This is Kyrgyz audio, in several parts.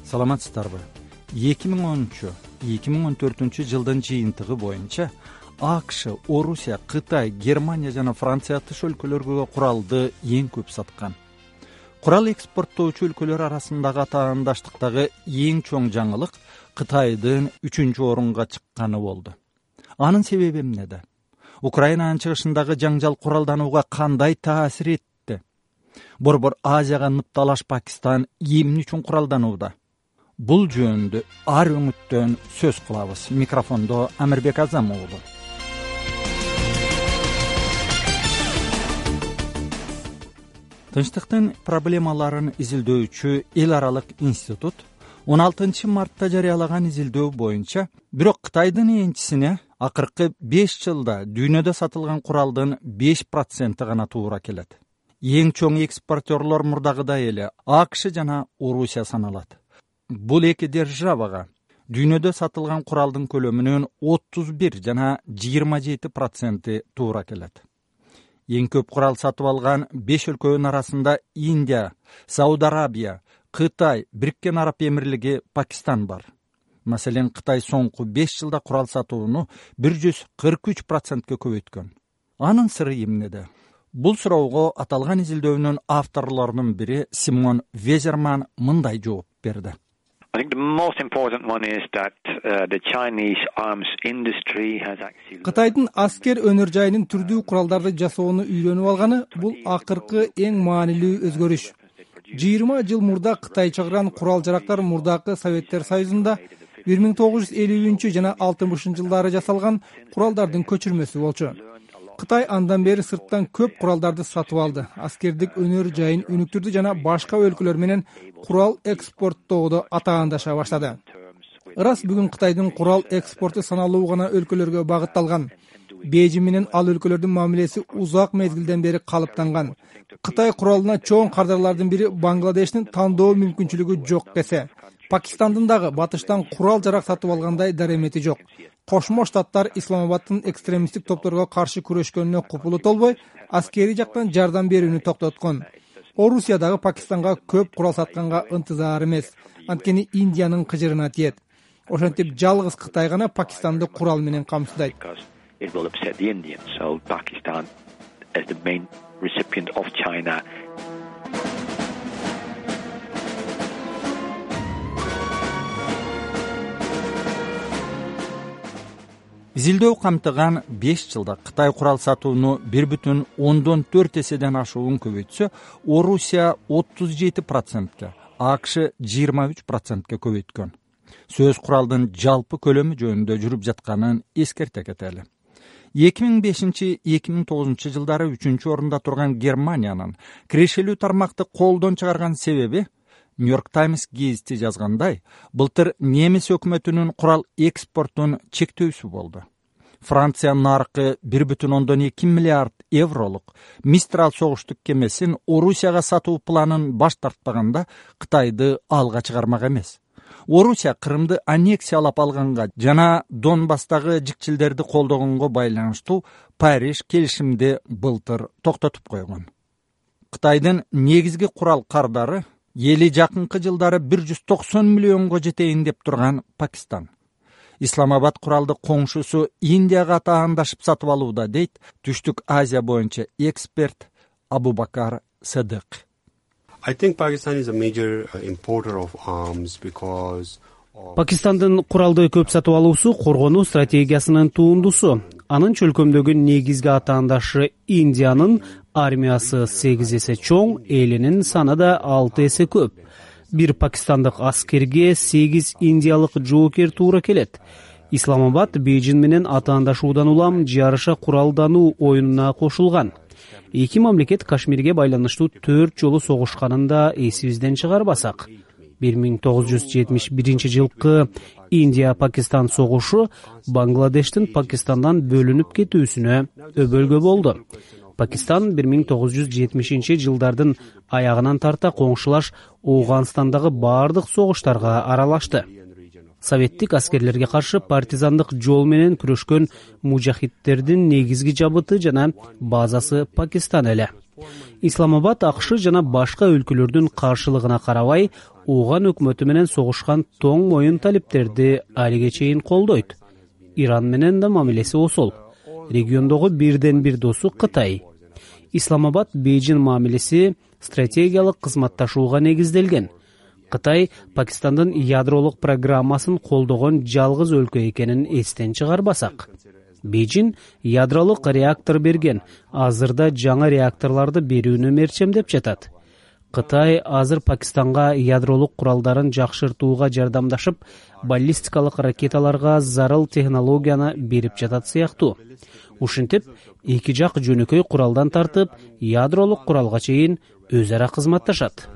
Саламатсыздарбы? 2013-2014 жылдын жыйынтыгы боюнча АКШ, Орусия, Кытай, Германия жана Франция тыш өлкөлөргө куралды эң көп саткан. Курал экспорттоочу өлкөлөр арасындагы атаандаштыктагы эң чоң жаңылык Кытайдын 3-орунга чыкканы болду. Анын себеби эмнеде? Украинанын чыгышындагы жаңжал куралданууга кандай таасир этти? Борбор Азияга ныпталаш Пакистан эмне үчүн куралданууда? Бул жөнүндө ар үмүттөн сөз кылабыз. Микрофондо Амирбек Азам уулу. Тынчтыктын проблемаларын изилдөөчү эл аралык институт 16 мартта жарыялаган изилдөө боюнча бирок Кытайдын энчисине акыркы 5 жылда дүйнөдө сатылган куралдын 5% гана туура келет. Эң чоң экспортерлор мурдагыдай эле АКШ жана Орусия саналат. Бул эки державага дүйнөдө сатылган куралдын көлөмүнүн 31 жана 27% туура келет. Эң көп курал сатып алган 5 өлкөнүн арасында Индия, Сауд Арабия, Кытай, Бириккен Араб Эмирлиги, Пакистан бар. Маселен, Кытай соңку 5 жылда курал сатууну 143%ке көбөйткөн. Анын сыры эмнеде? Бул суроого аталган изилдөөнүн авторлорунун бири Симон Везерман мындай жооп берди. I think the most important one is that the Chinese arms industry has actually Кытайдын аскер өнөр жайынын түрдүү куралдарды жасоону үйрөнүп алганы бул акыркы эң маанилүү өзгөрүш. 20 жыл мурда Кытай чыгарган курал-жарактар мурдакы Советтер Союзунда 1950 жана 60 жылдары жасалган куралдардын көчүрмөсү болчу. Кытай андан бери сырттан көп куралдарды сатып алды, аскердик өнөр жайын өнүктүрдү жана башка өлкөлөр менен курал экспорттоодо атаандаша баштады. Ырас бүгүн Кытайдын курал экспорту саналуу гана өлкөлөргө багытталган. Бейжиң менен ал өлкөлөрдүн мамилеси узак мезгилден бери калыптанган. Кытай куралына чоң кардарлардын бири Бангладештин тандоо мүмкүнчүлүгү жок десе, Пакистандын дагы батыштан курал-жарак сатып алгандай даремети жок. Кошмо Штаттар Исламабадтын экстремисттик топторго каршы күрөшкөнүнө купулу толбой, аскери жактан жардам берүүнү токтоткон. Орусия дагы Пакистанга көп курал сатканга ынтызар эмес. Анткени Индиянын кыжырына тиет. Ошентип жалгыз Кытай гана Пакистанды курал менен камсыздайт. it will upset the Indians. So Pakistan, as the main recipient of China, Изилдөө камтыган 5 жылда Кытай курал сатууну 1,4 эседен ашуун көбөйтсө, Орусия 37%ке, АКШ 23%ке көбөйткөн. Сөз куралдын жалпы көлөмү жөнүндө жүрүп жатканын эскерте кетели. 2005-2009 жылдары 3-орунда турган Германиянын кирешелүү тармакты колдон чыгарган себеби Нью-Йорк Таймс гезити жазгандай, былтыр немис өкмөтүнүн курал экспортун чектөөсү болду. Франция наркы 1,2 миллиард евролук Мистрал согуштук кемесин Орусияга сатуу планын баш тартпаганда Кытайды алга чыгармак эмес. Орусия Крымды аннексиялап алганга жана Донбасстагы жикчилдерди колдогонго байланыштуу Париж келишимди былтыр токтотуп койгон. Кытайдын негизги курал кардары эли жакынкы жылдары 190 миллионго жетейин деп турган Пакистан. Исламабад куралды коңшусу Индияга атаандашып сатып алууда, дейт Түштүк Азия боюнча эксперт Абубакар Садык. I think Pakistan is a major importer of arms because Пакистандын куралды көп сатып алуусу коргонуу стратегиясынын туындусу. Анын чөлкөмдөгү негизги атаандашы Индиянын армиясы 8 эсе чоң, элинин саны да 6 эсе көп. Бир пакистандык аскерге 8 индиялык жоокер туура келет. Исламабад Бейжиң менен атаандашуудан улам жарыша куралдануу оюнуна кошулган. Эки мамлекет Кашмирге байланыштуу 4 жолу согушканын да эсибизден чыгарбасак. 1971 жылкы Индия-Пакистан согушу Бангладештин Пакистандан бөлүнүп кетүүсүнө өбөлгө болду. Пакистан 1970 жылдардын аягынан тарта коңшулаш Ооганстандагы бардык согуштарга аралашты. Советтик аскерлерге каршы партизандык жол менен күрөшкөн мужахидтердин негизги жабыты жана базасы Пакистан эле. Исламабад АКШ жана башка өлкөлөрдүн каршылыгына карабай, Ооган өкмөтү менен согушкан тоң моюн талиптерди алиге чейин колдойт. Иран менен да мамилеси осол. Региондогу бирден бир досу Кытай. Исламабад Бейжин мамилеси стратегиялык кызматташууга негизделген. Кытай Пакистандын ядролук программасын колдогон жалгыз өлкө экенин эстен чыгарбасак. Бейжин ядролук реактор берген, азырда жаңы реакторларды берүүнү мерчемдеп жатат. Кытай азыр Пакистанга ядролук куралдарын жакшыртууга жардамдашып, баллистикалык ракеталарга зарыл технологияны берип жатат сыяктуу. Ушинтип, эки жак жөнөкөй куралдан тартып, ядролук куралга чейин өз ара кызматташат.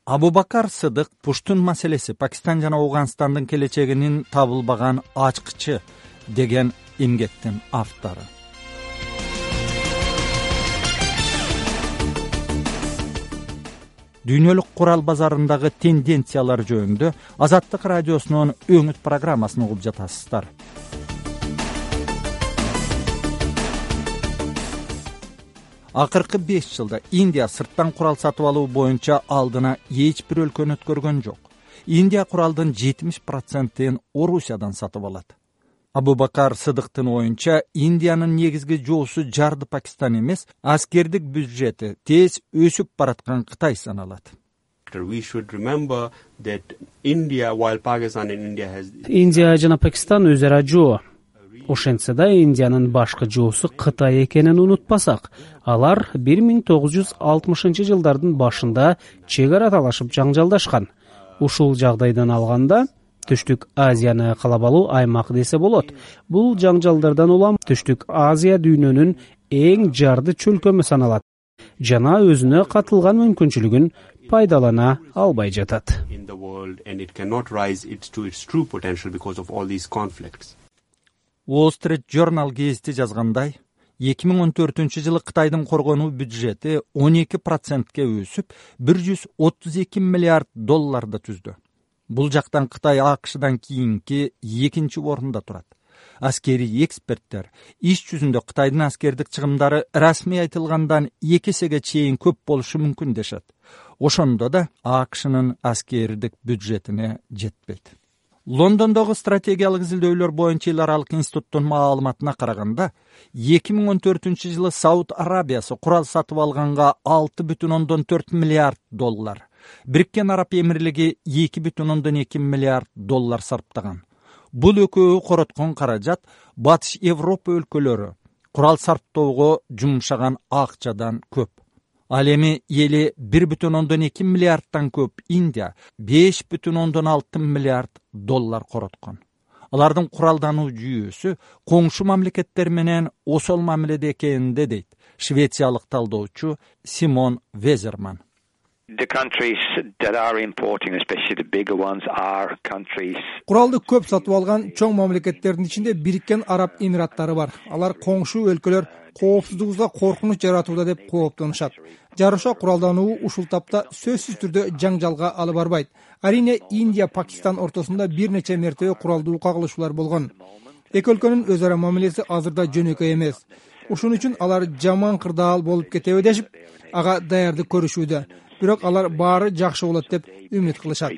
Абубакар Сыдык Пуштун маселеси Пакистан жана Ауганстандын келечегинин табылбаган ачкычы деген эмгектин автору. Дүйнөлүк курал базарындагы тенденциялар жөнүндө Азаттык радиосунун өңүт программасын угуп жатасыздар. Акыркы 5 жылда Индия сырттан курал сатып алуу боюнча алдына эч бир өлкөнү өткөргөн жок. Индия куралдын 70%-ин Орусиядан сатып алат. Абубакар Сыдыктын оюнча, Индиянын негизги жоосу жарды Пакистан эмес, аскердик бюджети тез өсүп бараткан Кытай саналат. Индия жана Пакистан өз ара жоо. Ошентсе да Индиянын башкы жоосу Кытай экенин унутпасак, алар 1960-жылдардын башында чек ара талашып жаңжалдашкан. Ушул жагдайдан алганда Түштүк Азияны каалап алуу аймак десе болот. Бул жаңжалдардан улам Түштүк Азия дүйнөнүн эң жарды чөлкөмү саналат жана өзүнө катылган мүмкүнчүлүгүн пайдалана албай жатат. Wall Street Journal гезити жазгандай, 2014-жылы Кытайдын коргонуу бюджети 12%ке өсүп, 132 миллиард долларды түздү. Бул жактан Кытай АКШдан кийинки экинчи орунда турат. Аскерий эксперттер иш жүзүндө Кытайдын аскердик чыгымдары расмий айтылгандан 2 эсеге чейин көп болушу мүмкүн дешет. Ошондо да АКШнын аскердик бюджетине жетпейт. Лондондогу стратегиялык изилдөөлөр боюнча эл аралык институттун маалыматына караганда, 2014-жылы Сауд Арабиясы курал сатып алганга 6,4 миллиард доллар, Бириккен Араб Эмирлиги 2,2 миллиард доллар сарптаган. Бул экөө короткон каражат Батыш Европа өлкөлөрү курал сарптоого жумшаган акчадан көп. Ал эми эли 1,2 миллиардтан көп Индия 5,6 миллиард доллар короткон. Алардын куралдануу жүйөсү коңшу мамлекеттер менен осол мамиледе экенинде дейт швециялык талдоочу Симон Везерман. The countries that are importing, especially the bigger ones, are countries. Куралды көп сатып алган чоң мамлекеттердин ичинде Бириккен Араб Эмираттары бар. Алар коңшу өлкөлөр коопсуздугубузга коркунуч жаратууда деп кооптонушат. Жарыша куралдануу ушул тапта сөзсүз түрдө жаңжалга алып барбайт. Арине Индия Пакистан ортосунда бир нече мертебе куралдуу кагылышуулар болгон. Эки өлкөнүн өз ара мамилеси азырда жөнөкөй эмес. Ушун үчүн алар жаман кырдаал болуп кетеби дешип, ага даярдык көрүшүүдө. Бирок алар баары жакшы болот деп үмүт кылышат.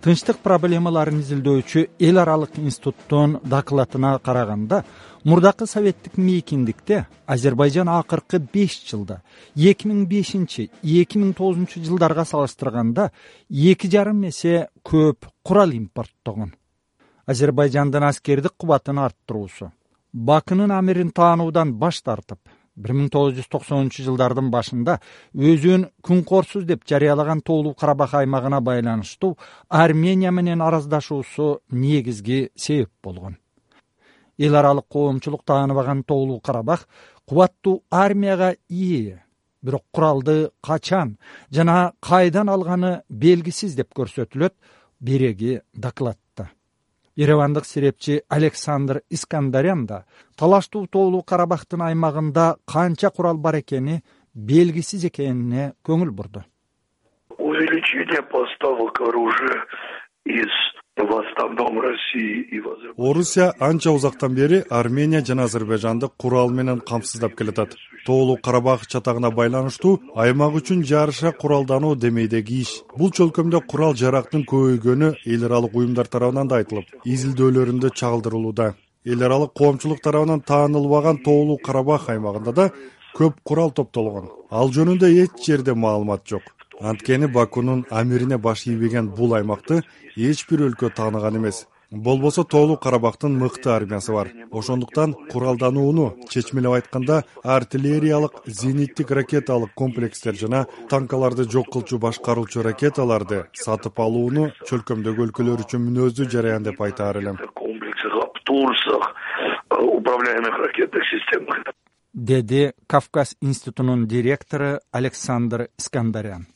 Тынчтык проблемаларын изилдөөчү эл аралык институттун докладына караганда, мурдакы советтик мейкиндикте Азербайжан акыркы 5 жылда 2005-2009 жылдарга салыштырганда 2,5 эсе көп курал импорттогон. Азербайжандын аскердик кубатын арттыруусу, Бакынын амирин таануудан баш тартып, 1990 жылдардын башында өзүн күнкорсуз деп жарыялаган Тоолуу Карабах аймагына байланыштуу Армения менен араздашуусу негизги себеп болгон. Эл аралык коомчулук тааныбаган Тоолуу Карабах кубаттуу армияга ээ, бирок куралды качан жана кайдан алганы белгисиз деп көрсөтүлөт береги докладта. Еревандык серепчи Александр Искандарян да талаштуу Тоолуу Карабахтын аймагында канча курал бар экени белгисиз экенине көңүл бурду. Увеличение поставок оружия из в основном России и в Азербайджане. Орусия анча узактан бери Армения жана Азербайжанды курал менен камсыздап келатат. Тоолуу Карабах чатагына байланыштуу аймак үчүн жарыша куралдануу демейдеги иш. Бул чөлкөмдө курал жарактын көбөйгөнү эл аралык уюмдар тарабынан да айтылып, изилдөөлөрүндө чагылдырылууда. Эл аралык коомчулук тарабынан таанылбаган Тоолуу Карабах аймагында да көп курал топтолгон. Ал жөнүндө эч жерде маалымат жок. Анткени Бакунун амирине баш ийбеген бул аймакты эч бир өлкө тааныган эмес. Болбосо Тоолуу Карабахтын мыкты армиясы бар. Ошондуктан куралданууну, чечмелеп айтканда, артиллериялык, зениттик ракеталык комплекстер жана танкаларды жок кылчу башкаруучу ракеталарды сатып алууну чөлкөмдөгү өлкөлөр үчүн мүнөздүү жараян деп айтаар элем. Управляемых ракетных системах, деди Кавказ институтунун директору Александр Искандарян.